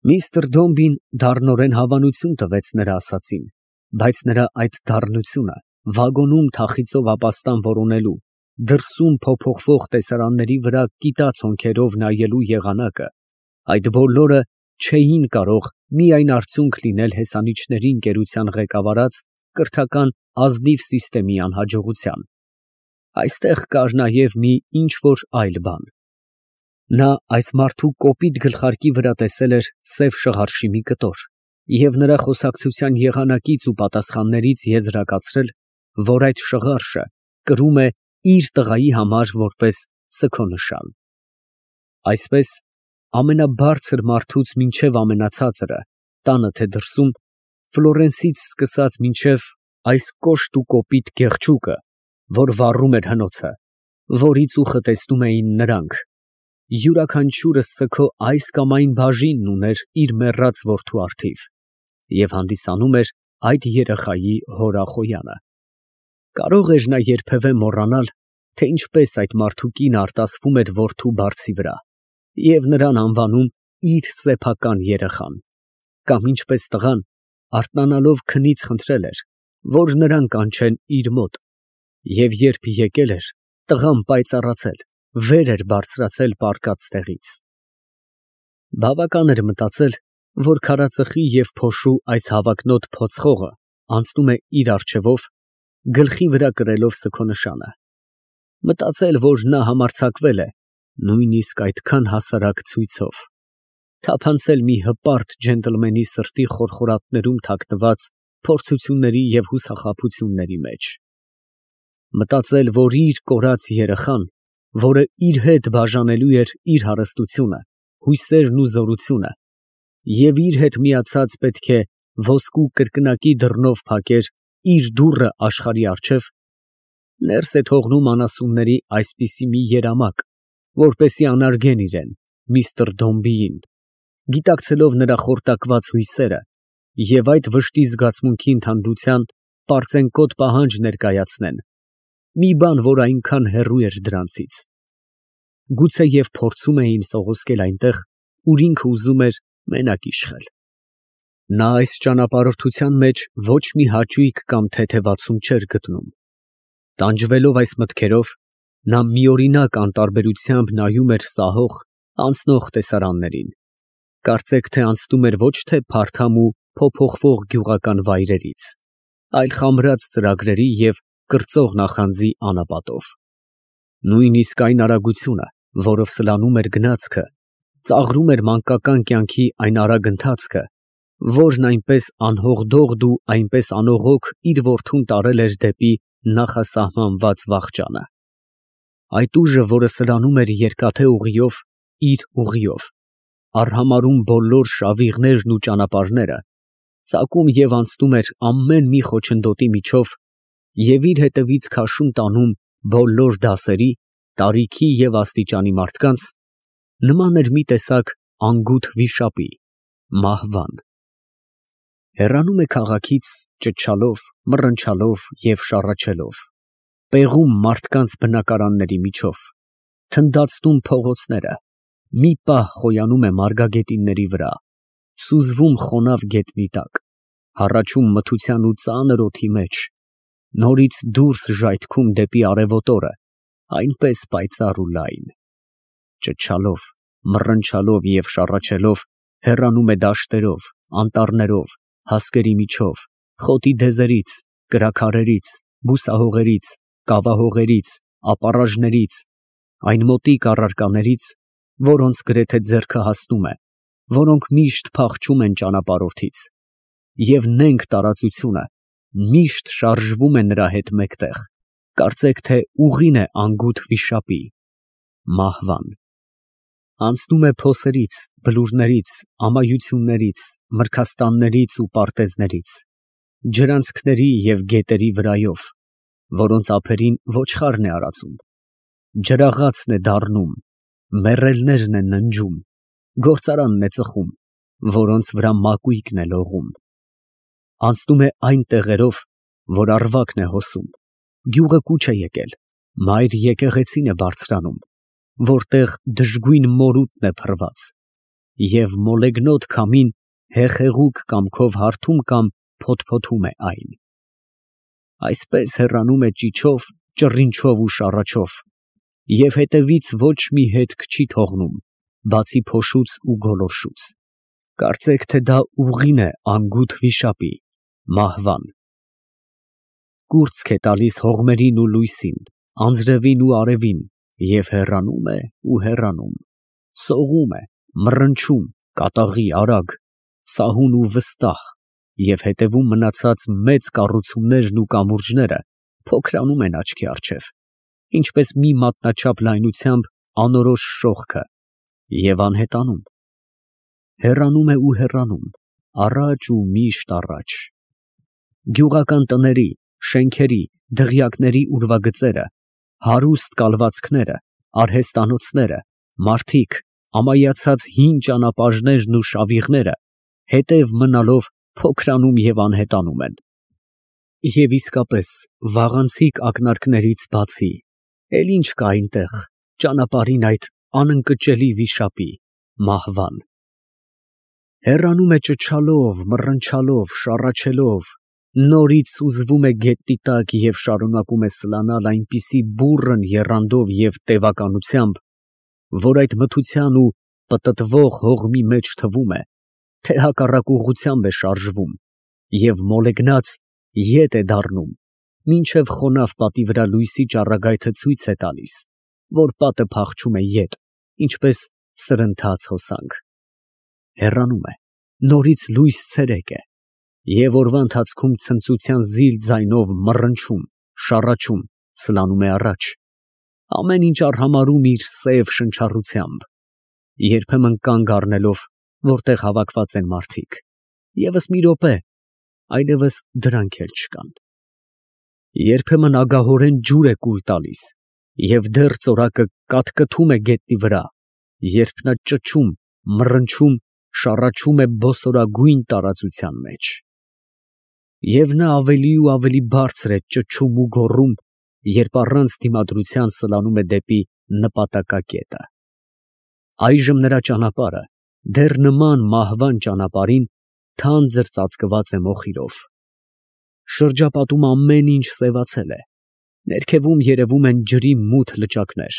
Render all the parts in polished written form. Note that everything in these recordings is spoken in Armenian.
Միստր Դոմբին դառնորեն հավանություն տվեց նրա ասածին, բայց նրա այդ դառնությունը վագոնում թախիծով ապաստան որոնելու, դրսում փոփոխվող տեսարանների վրա կիտած հոնքերով նայելու եղանակը, այդ բոլորը չէին կարող միայն արդյունք լինել հեսանիչների ընկերության ղեկավարած կրթական ազնիվ սիստեմի անհաջողության. այստեղ կար նաև մի ինչ֊որ այլ բան. նա այս մարդու կոպիտ գլխարկի վրա տեսել էր սև շղարշի մի կտոր և նրա խոսակցության եղանակից ու պատասխաններից եզրակացրել, որ այդ շղարշը կրում է իր տղայի համար որպես սգո նշան։ Այսպես, ամենաբարձր մարդուց մինչև ամենացածրը, տանը թե դրսում, Ֆլորենսից սկսած մինչև այս կոշտ ու կոպիտ գեղչուկը, որ վառում էր հնոցը, որից ուխը տեսնում էին նրանք, յուրաքանչյուրը սգո այս կամ այն բաժինն ուներ իր մեռած որդու առթիվ և հանդիսանում էր այդ երեխայի հորախոյանը։ Կարող էր նա երբևէ մոռանալ, թե ինչպես այդ մարդու կինը արտասվում էր որդու բարձի վրա և նրան անվանում իր սեփական երեխան, կամ ինչպես տղան, արթնանալով քնից խնդրել էր, որ նրան կանչեն իր մոտ, և երբ եկել էր, տղան պայծառացել, վեր էր բարձրացել պառկած տեղից։ Բավական էր մտածել, որ քարածխի և փոշու այս հավակնոտ փոցխողը անցնում է իր առջևով, գլխի վրա կրելով սգո նշանը, մտածել, որ նա համարձակվել է նույնիսկ այդքան հասարակ ցույցով, թափանցել մի հպարտ ջենտլմենի սրտի խորխորատներում թաքնված փորձությունների և հուսախաբությունների մեջ, մտածել, որ իր կորած երեխան, որը իր հետ բաժանելու էր իր հարստությունը, հույսերն ու զորությունը, և իր հետ միացած պետք է ոսկու կրկնակի դռնով փակեր իր դուռը աշխարհի առջև, ներս է թողնում անասունների այսպիսի մի երամակ, որպեսզի անարգեն իրան, միստր Դոմբիին, գիտակցելով նրա խորտակված հույսերը և այդ վշտի զգացմունքի ընդհանրության պարծենկոտ պահանջ ներկայացնեն, մի բան, որ այնքան հեռու էր դրանցից, գուցեև փորձում էին սողոսկել այնտեղ, ուր ինքը ուզում էր մենակ իշխել։ Նա այս ճանապարհորդության մեջ ոչ մի հաճույք կամ թեթևացում չէր գտնում։ Տանջվելով այս մտքերով, նա միօրինակ անտարբերությամբ նայում էր սահող, անցնող տեսարաններին, կարծեք թե անցնում էր ոչ թե փարթամ ու փոփոխվող գյուղական վայրերից, այլ խամրած ծրագրերի և կրծող նախանձի անապատով։ Նույնիսկ այն արագությունը, որով սլանում էր գնացքը, ծաղրում էր մանկական կյանքի այն արագ ընթացքը, որն այնպես անհողդողդ ու այնպես անողոք իր որդուն տարել էր դեպի նախասահմանված վախճանը։ Այդ ուժը, որը սլանում էր երկաթե ուղիով, իր ուղիով, արհամարհում բոլոր շավիղներն ու ճանապարհները, ծակում և անցնում էր ամեն մի խոչընդոտի միջով և իր հետևից քաշում տանում բոլոր դասերի, տարիքի և աստիճանի մարդկանց, նման էր մի տեսակ անգութ վիշապի, մահվան։ Հեռանում է քաղաքից, ճչալով, մռնչալով և շառաչելով, պեղում մարդկանց բնակարանների միջով, թնդացնում փողոցները, մի պահ խոյանում է մարգագետինների վրա, սուզվում խոնավ գետնի տակ, հառաչում մթության ու ծանր օդի մեջ, նորից դուրս ժայթքում դեպի արևոտ օրը, այնպես պայծառ ու լայն, ճչալով, մռնչալով և շառաչելով հեռանում է դաշտերով, անտառներով, հասկերի միջով, խոտի դեզերից, կրաքարերից, բուսահողերից, կավահողերից, ապառաժներից, այն մոտիկ առարկաներից, որոնց գրեթե ձեռքը հասնում է, որոնք միշտ փախչում են ճանապարհորդից, և նենգ տարածությունը միշտ շարժվում է նրա հետ մեկտեղ, կարծեք թե ուղին է անգութ վիշապի, մահվան։ Անցնում է փոսերից, բլուրներից, ամայություններից, մրգաստաններից ու պարտեզներից, ջրանցքների և գետերի վրայով, որոնց ափերին ոչխարն է արածում, ջրաղացն է դառնում, մեռելներն են ննջում, գործարանն է ծխում, որոնց վրա մակույկն է լողում։ Անցնում է այն տեղերով, որ առվակն է հոսում, գյուղը կուչ է եկել, մայր եկեղեցին է բարձրանում, որտեղ դժգույն մորուտն է փռված, և մոլեգնոտ քամին հեղեղուկ կամքով հարթում կամ փոթփոթում է այն։ Այսպես հեռանում է ճիչով, ճռինչով ու շառաչով, և հետևից ոչ մի հետք չի թողնում, բացի փոշուց ու գոլորշուց։ Կարծեք, թե դա ուղին է անգութ վիշապի՝ մահվան։ Կուրծք է տալիս հողմերին ու լույսին, անձրևին ու արևին, և հեռանում է ու հեռանում, սողում է, մռնչում, կատաղի արագ, սահուն ու վստահ, և հետևում մնացած մեծ կառուցումներն ու կամուրջները փոքրանում են աչքի առջև, ինչպես մի մատնաչափ լայնությամբ անորոշ շողքը, և անհետանում։ Հեռանում է ու հեռանում, առաջ ու միշտ առաջ։ Գյուղական տների, շենքերի, դղյակների ուրվագծերը, հարուստ կալվածքները, արհեստանոցները, մարդիկ, ամայացած հին ճանապարհներն ու շավիղները հետև մնալով փոքրանում և անհետանում են։ Եվ իսկապես, վաղանցիկ ակնարկներից բացի, էլ ինչ կա այնտեղ, ճանապարհին այդ անընկճելի վիշապի՝ մահվան։ Հեռանում է ճչալով, մռնչալով, շառաչելով, նորից սուզվում է գետնի տակ և շարունակում է սլանալ այնպիսի բուռն եռանդով և տևականությամբ, որ այդ մթության ու պտտվող հողմի մեջ թվում է, թե հակառակ ուղղությամբ է շարժվում և մոլեգնած ետ է դառնում, մինչև խոնավ պատի վրա լույսի ճառագայթը ցույց է տալիս, որ պատը փախչում է ետ, ինչպես սրընթաց հոսանք։ Հեռանում է, նորից լույս ցերեկ է, և օրվա ընթացքում ցնծության զիլ ձայնով մռնչում, շառաչում, սլանում է առաջ, ամեն ինչ արհամարհում իր սև շնչառությամբ, երբեմն կանգ առնելով, որտեղ հավաքված են մարդիկ, ևս մի րոպե, այլևս դրանք էլ չկան։ Երբեմն ագահորեն ջուր է կուլ տալիս, և դեռ ծորակը կատկթում է գետնի վրա, երբ նա ճչում, մռնչում, շառաչում է բոսորագույն տարածության մեջ։ Եվ նա ավելի ու ավելի բարձր է ճչում ու գոռում, երբ առանց դիմադրության սլանում է դեպի նպատակակետը։ Այժմ նրա ճանապարհը, դեռ նման մահվան ճանապարհին, թանձր ծածկված է մոխիրով։ Շրջապատում ամեն ինչ սևացել է, ներքևում երևում են ջրի մութ լճակներ,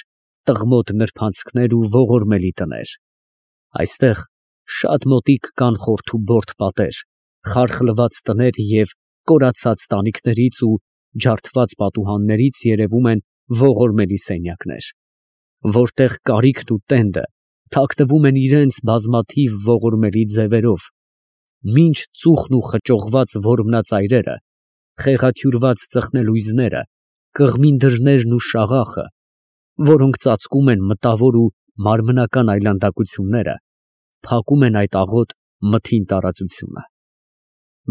տղմոտ նրբանցքներ ու ողորմելի տներ։ Այստեղ շատ մոտիկ կան խորթուբորդ պատեր, խարխլված տներ և կորացած տանիքներից ու ջարդված պատուհաններից երևում են ողորմելի սենյակներ, որտեղ կարիքն ու տենդը թաքնվում են իրենց բազմաթիվ ողորմելի ձևերով, մինչ ծուխն ու խճողված որմնածայրերը, խեղաթյուրված ծխնելույզները, կղմին դռներն ու շաղախը, որոնք ծածկում են մտավոր ու մարմնական այլանդակությունները, փակում են այդ աղոտ մթին տարածությունը։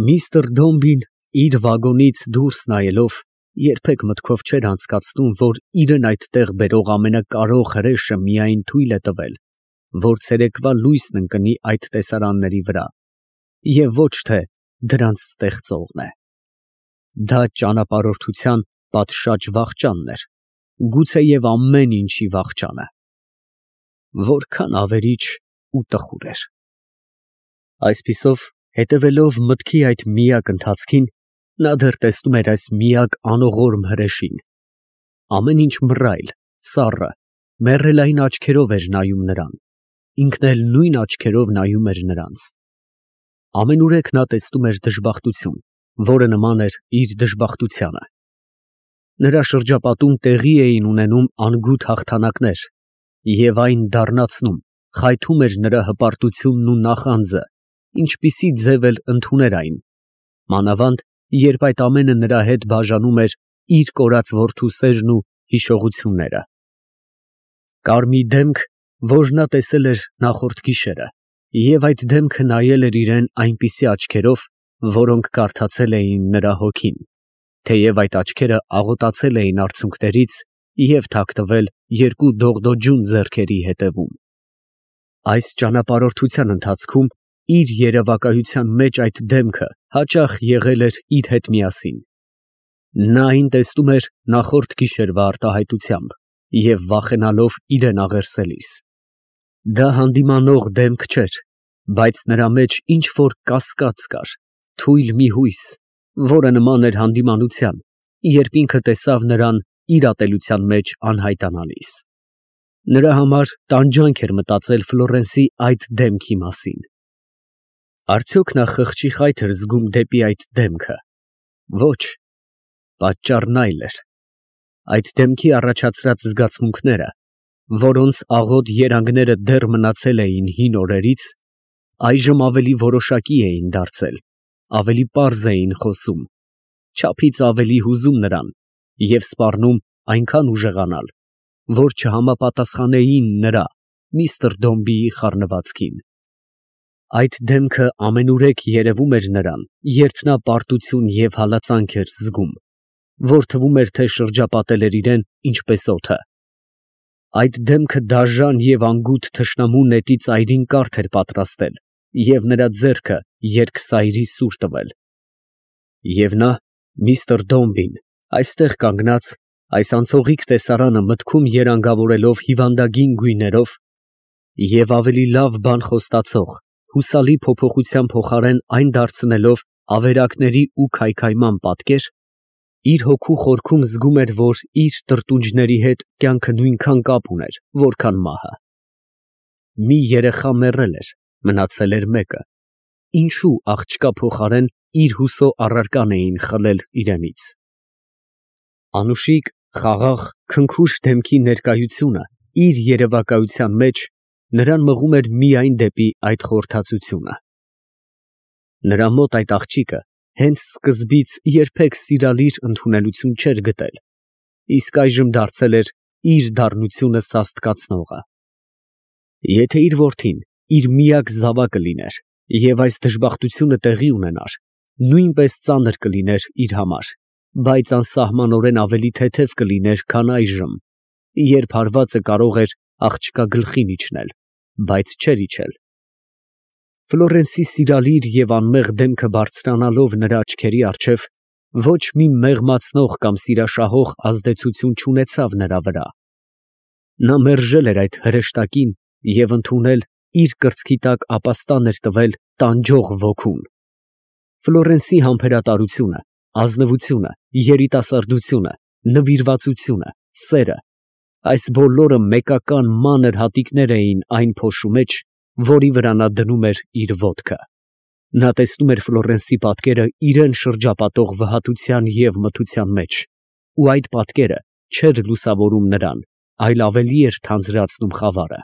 Միսթր Դոմբին իր վագոնից դուրս նայելով երբեք մտքով չէր անցկացնում, որ իրեն այդտեղ բերող ամենակարող հրեշը միայն թույլ է տվել, որ ցերեկվա լույսն ընկնի այդ տեսարանների վրա, և ոչ թե դրանց ստեղծողն է։ Դա ճանապարհորդության պատշաճ վախճանն էր, գուցեև ամեն ինչի վախճանը։ Որքան ավերիչ ու տխուր էր։ Այսպիսով, հետևելով մտքի այդ միակ ընթացքին, նա դեռ տեսնում էր այս միակ անողորմ հրեշին։ Ամեն ինչ մռայլ, սառը, մեռելային աչքերով էր նայում նրան, ինքն էլ նույն աչքերով նայում էր նրանց։ Ամենուրեք նա տեսնում էր դժբախտություն, որը նման էր իր դժբախտությանը։ Նրա շրջապատում տեղի էին ունենում անգութ հաղթանակներ, և այն դառնացնում, խայթում էր նրա հպարտությունն ու նախանձը, ինչպիսի ձև էլ ընդուներ այն, մանավանդ երբ այդ ամենը նրա հետ բաժանում էր իր կորած որդու սերն ու հիշողությունները։ Կարմիր դեմք, որ նա տեսել էր նախորդ գիշերը, և այդ դեմքը նայել էր իրան այնպիսի աչքերով, որոնք կարդացել էին նրա հոգին, թեև այդ աչքերը աղոտացել էին արցունքներից և թաքնվել երկու դողդոջուն ձեռքերի ետևում։ Այս ճանապարհորդության ընթացքում իր երևակայության մեջ այդ դեմքը հաճախ եղել էր իր հետ միասին։ Նա այն տեսնում էր նախորդ գիշերվա արտահայտությամբ և վախենալով իրան աղերսելիս։ Դա հանդիմանող դեմք չէր, բայց նրա մեջ ինչ որ կասկած կար, թույլ մի հույս, որը նման էր հանդիմանության, երբ ինքը տեսավ նրան իր ատելության մեջ անհայտանալիս։ Նրա համար տանջանք էր մտածել Ֆլորենսի այդ դեմքի մասին։ Արդյոք նա խղճի խայթ էր զգում դեպի այդ դեմքը։ Ոչ, պատճառն այլ էր։ Այդ դեմքի առաջացրած զգացմունքները, որոնց աղոտ երանգները դեռ մնացել էին հին օրերից, այժմ ավելի որոշակի էին դարձել, ավելի պարզ էին խոսում, չափից ավելի հուզում նրան և սպառնում այնքան ուժեղանալ, որ չհամապատասխանեին նրա միստր Դոմբիի խառնվածքին։ Այդ դեմքը ամենուրեք երևում էր նրան, երբ նա պարտություն և հալածանք էր զգում, որ թվում էր, թե շրջապատել էր իրեն ինչպես օդը։ Այդ դեմքը դաժան և անգութ թշնամու նետի ծայրին կարթ էր պատրաստել և նրա ձեռքը երկսայրի սուր տվել։ Եվ նա, միստր Դոմբին, այստեղ կանգնած, այս անցողիկ տեսարանը մտքում երանգավորելով հիվանդագին գույներով և ավելի լավ բան խոստացող, հուսալի փոփոխության փոխարեն այն դարձնելով ավերակների ու քայքայման պատկեր, իր հոգու խորքում զգում էր, որ իր տրտունջների հետ կյանքը նույնքան կապ ուներ, որքան մահը։ Մի երեխա մեռել էր, մնացել էր մեկը, ինչու աղջկա փոխարեն իր հուսո առարական էին խլել իրենից։ Անուշիկ, խաղաղ, քնքուշ դեմքի ներկայությունը իր երևակայության մեջ նրան մղում էր միայն դեպի այդ խորհրդածությունը։ Նրա մոտ այդ աղջիկը հենց սկզբից երբեք սիրալիր ընդունելություն չէր գտել, իսկ այժմ դարձել էր իր դառնությունը սաստկացնողը։ Եթե իր որդին իր միակ զավակը լիներ և այս դժբախտությունը տեղի ունենար, նույնպես ծանր կլիներ իր համար, բայց անսահմանորեն ավելի թեթև կլիներ, քան այժմ, երբ հարվածը կարող էր աղջկա գլխին իջնել, բայց չէր իջել։ Ֆլորենսի սիրալիր և անմեղ դեմքը բարձրանալով նրա աչքերի առջև, ոչ մի մեղմացնող կամ սիրաշահող ազդեցություն չունեցավ նրա վրա։ Նա մերժել էր այդ հրեշտակին և ընդունել իր կրծքի տակ ապաստան էր տվել տանջող ոգուն։ Ֆլորենսի համբերատարությունը, ազնվությունը, երիտասարդությունը, նվիրվածությունը, սերը, այս բոլորը մեկական մանր հատիկներ էին այն փոշու մեջ, որի վրա նա դնում էր իր ոտքը։ Նա տեսնում էր Ֆլորենսի պատկերը իրան շրջապատող վհատության և մթության մեջ, ու այդ պատկերը չէր լուսավորում նրան, այլ ավելի էր թանձրացնում խավարը։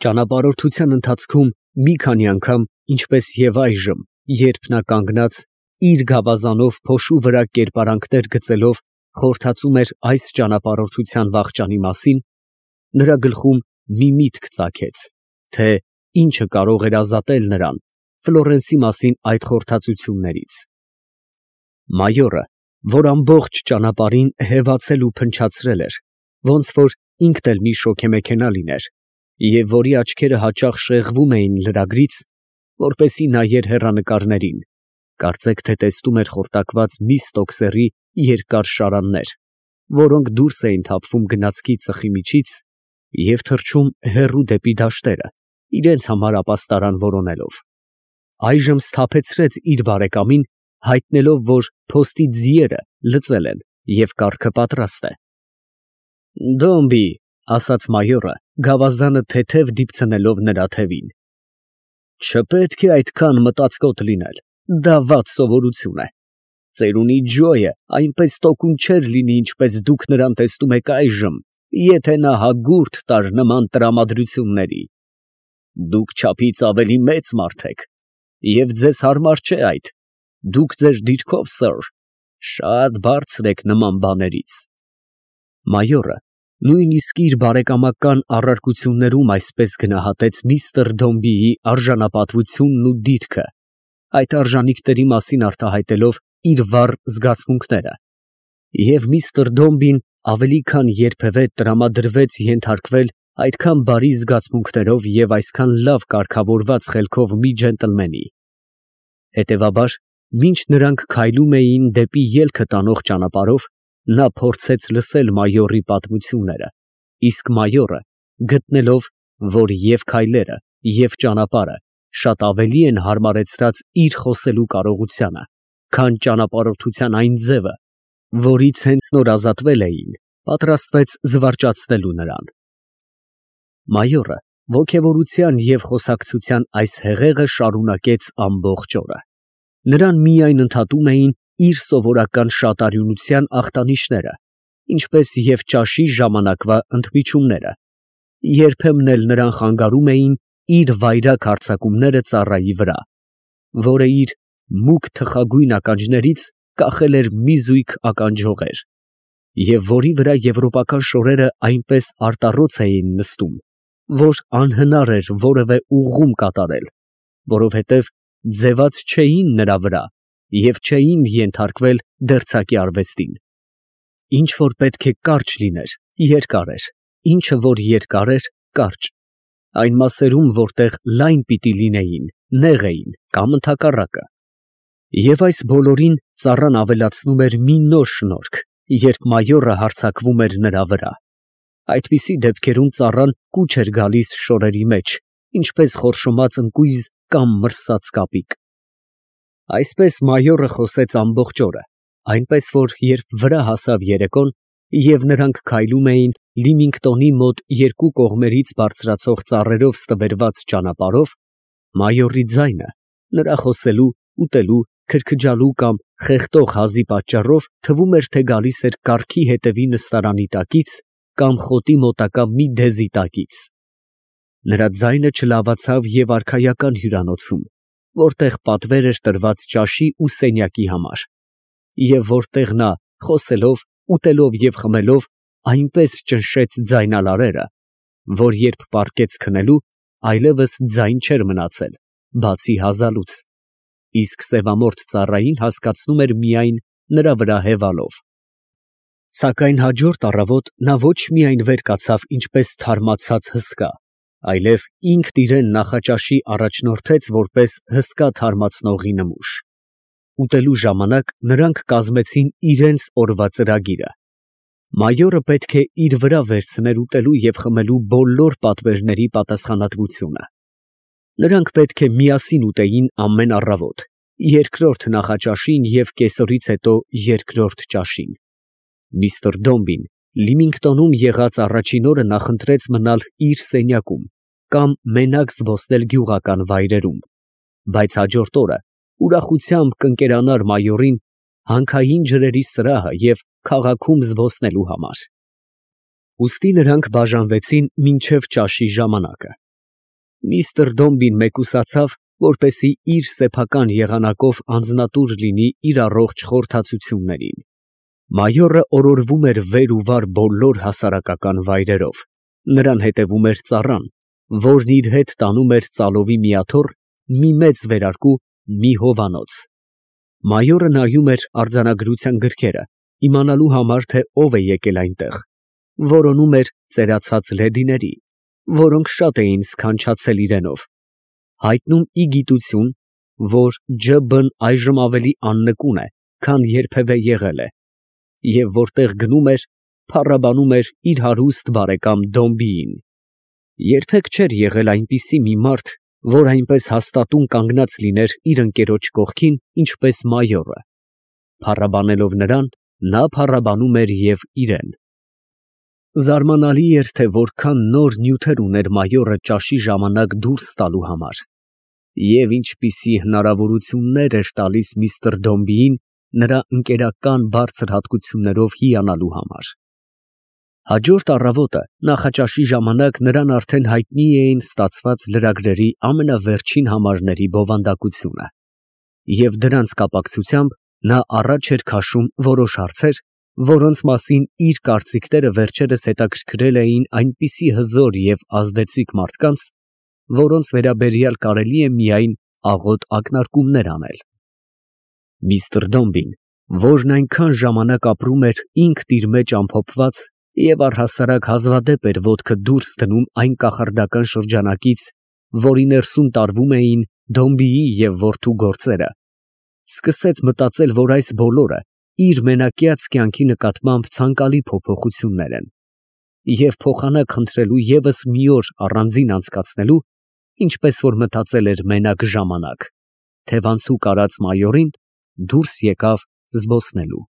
Ճանապարհորդության ընթացքում մի քանի անգամ, ինչպես և այժմ, երբ նա կանգնած, իր գավազանով փոշու վրա կերպարանքներ գծելով, խորհրդածում էր այս ճանապարհորդության վախճանի մասին, նրա գլխում մի միտք ծագեց, թե ինչը կարող էր ազատել նրան Ֆլորենսի մասին այդ խորհրդածություններից։ Մայորը, որ ամբողջ ճանապարհին հևացել ու փնչացրել էր, ոնց որ ինքն էլ մի շոգեմեքենա լիներ, և որի աչքերը հաճախ շեղվում էին լրագրից, որպեսզի նայեր հեռանկարներին, կարծեք թե տեսնում էր խորտակված մի ստոքսերի երկար շարաններ, որոնք դուրս էին թափվում գնացքի ծխի միջից և թռչում հեռու դեպի դաշտերը, իրենց համար ապաստարան որոնելով, այժմ սթափեցրեց իր բարեկամին, հայտնելով, որ փոստի ձիերը լծել են և կառքը պատրաստ է։ «Դոմբի», ֊ ասաց մայորը, գավազանը թեթև դիպցնելով նրա թևին, ֊ չպետք է այդքան մտածկոտ լինել, դա վատ սովորություն է։ Ծերունի Ջոյը այնպես տոկուն չէր լինի, ինչպես դուք նրան տեսնում եք այժմ, եթե նա հագուրդ տար նման տրամադրությունների։ Դուք չափից ավելի մեծ մարդ եք, և ձեզ հարմար չէ այդ, դուք ձեր դիրքով, սըր, շատ բարձր եք նման բաներից։ Մայորը նույնիսկ իր բարեկամական առարկություններում այսպես գնահատեց միստր Դոմբիի արժանապատվությունն ու դիրքը, այդ արժանինքների մասին արտահայտելով իր վառ զգացմունքները, և միստր Դոմբին ավելի քան երբևէ տրամադրվեց ենթարկվել այդքան բարի զգացմունքներով և այսքան լավ կարգավորված խելքով մի ջենտլմենի։ Հետևաբար, մինչ նրանք քայլում էին դեպի ելքը տանող ճանապարհով, նա փորձեց լսել մայորի պատմությունները, իսկ մայորը, գտնելով, որ և քայլերը, և ճանապարհը շատ ավելի են հարմարեցրած իր խոսելու կարողությանը, քան ճանապարհորդության այն ձևը, որից հենց նոր ազատվել էին, պատրաստվեց զվարճացնելու նրան։ Մայորը ոգևորության և խոսակցության այս հեղեղը շարունակեց ամբողջ օրը։ Նրան միայն ընդհատում էին իր սովորական շատ արյունության ախտանիշները, ինչպես և ճաշի ժամանակվա ընդմիջումները, երբեմն էլ նրան խանգարում էին իր վայրագ հարձակումները ծառայի վրա, որը իր մուգ թխագույն ականջներից կախել էր մի զույգ ականջողեր, և որի վրա եվրոպական շորերը այնպես արտառոց էին նստում, որ անհնար էր որևէ ուղղում կատարել, որովհետև ձևած չէին նրա վրա և չէին ենթարկվել դերձակի արվեստին։ Ինչ որ պետք է կարճ լիներ, երկար էր, ինչը որ երկար էր, կարճ, այն մասերում, որտեղ լայն պիտի լինեին, նեղ էին, կամ ընդհակառակը։ Եվ այս բոլորին ծառան ավելացնում էր մի նոր շնորհք, երբ մայորը հարձակվում էր նրա վրա։ Այդպիսի դեպքերում ծառան կուչ էր գալիս շորերի մեջ, ինչպես խորշոմած ընկույզ կամ մրսած կապիկ։ Այսպես մայորը խոսեց ամբողջ օրը, այնպես որ երբ վրա հասավ երեկոն, և նրանք քայլում էին Լիմինգտոնի մոտ երկու կողմերից բարձրացող ծառերով ստվերված ճանապարհով, մայորի ձայնը նրա խոսելու, ուտելու, քրքջալու կամ խեղդող հազի պատճառով թվում էր, թե գալիս էր կառքի հետևի նստարանի տակից կամ խոտի մոտակա մի դեզի տակից։ Նրա ձայնը չլավացավ և արքայական հյուրանոցում, որտեղ պատվեր էր տրված ճաշի ու սենյակի համար, և որտեղ նա խոսելով, ուտելով և խմելով այնպես ճնշեց ձայնալարերը, որ երբ պառկեց քնելու, այլևս ձայն չէր մնացել, բացի հազալուց, իսկ սևամորթ ծառային հասկացնում էր միայն նրա վրա հևալով։ Սակայն հաջորդ առավոտ նա ոչ միայն վեր կացավ ինչպես թարմացած հսկա, այլև ինքն իրան նախաճաշի առաջնորդեց որպես հսկա թարմացնողի նմուշ։ Ուտելու ժամանակ նրանք կազմեցին իրենց օրվա ծրագիրը։ Մայորը պետք է իր վրա վերցներ ուտելու և խմելու բոլոր պատվերների պատասխանատվությունը։ Նրանք պետք է միասին ուտեին ամեն առավոտ, երկրորդ նախաճաշին և կեսօրից հետո երկրորդ ճաշին։ Միսթր Դոմբին Լիմինգտոնում եղած առաջին օրը նախընտրեց մնալ իր սենյակում կամ մենակ զբոսնել գյուղական վայրերում, բայց հաջորդ օրը ուրախությամբ կընկերանար մայորին հանքային ջրերի սրահը և քաղաքում զբոսնելու համար։ Ուստի նրանք բաժանվեցին մինչև ճաշի ժամանակը։ Միսթր Դոմբին մեկուսացավ, որպեսզի իր սեփական եղանակով անձնատուր լինի իր առողջ խորհրդածություններին։ Մայորը օրորվում էր վեր ու վար բոլոր հասարակական վայրերով, նրան հետևում էր ծառան, որն իր հետ տանում էր ծալովի մի աթոռ, մի մեծ վերարկու, մի հովանոց։ Մայորը նայում էր արձանագրության գրքերը, իմանալու համար, թե ով է եկել այնտեղ, որոնում էր ծերացած լեդիների, որոնք շատ էին սքանչացել իրենով, հայտնում ի գիտություն, որ Ջ.Բ.-ն այժմ ավելի աննկուն է, քան երբևէ եղել է, և որտեղ գնում էր, փառաբանում էր իր հարուստ բարեկամ Դոմբիին։ Երբեք չէր եղել այնպիսի մի մարդ, որ այնպես հաստատուն կանգնած լիներ իր ընկերոջ կողքին, ինչպես մայորը։ Փառաբանելով նրան, նա փառաբանում էր և իրեն։ Զարմանալի էր, թե որքան նոր նյութեր ուներ մայորը ճաշի ժամանակ դուրս տալու համար, և ինչպիսի հնարավորություններ էր տալիս միսթր Դոմբիին նրա ընկերական բարձր հատկություններով հիանալու համար։ Հաջորդ առավոտը նախաճաշի ժամանակ նրան արդեն հայտնի էին ստացված լրագրերի ամենավերջին համարների բովանդակությունը, և դրանց կապակցությամբ նա առաջ էր քաշում որոշ հարցեր, որոնց մասին իր կարծիքները վերջերս հետաքրքրել էին այնպիսի հզոր և ազդեցիկ մարդկանց, որոնց վերաբերյալ կարելի է միայն աղոտ ակնարկումներ անել։ Միսթր Դոմբին, որն այնքան ժամանակ ապրում էր ինքն իր մեջ ամփոփված և առհասարակ հազվադեպ էր ոտքը դուրս դնում այն կախարդական շրջանակից, որի ներսում տարվում էին Դոմբիի և որդու գործերը, սկսեց մտածել, որ այս բոլորը իր մենակյաց կյանքի նկատմամբ ցանկալի փոփոխություններ են, և փոխանակ խնդրելու ևս մի օր առանձին անցկացնելու, ինչպես որ մտածել էր մենակ ժամանակ, թևանցուկ արած մայորին դուրս եկավ զբոսնելու։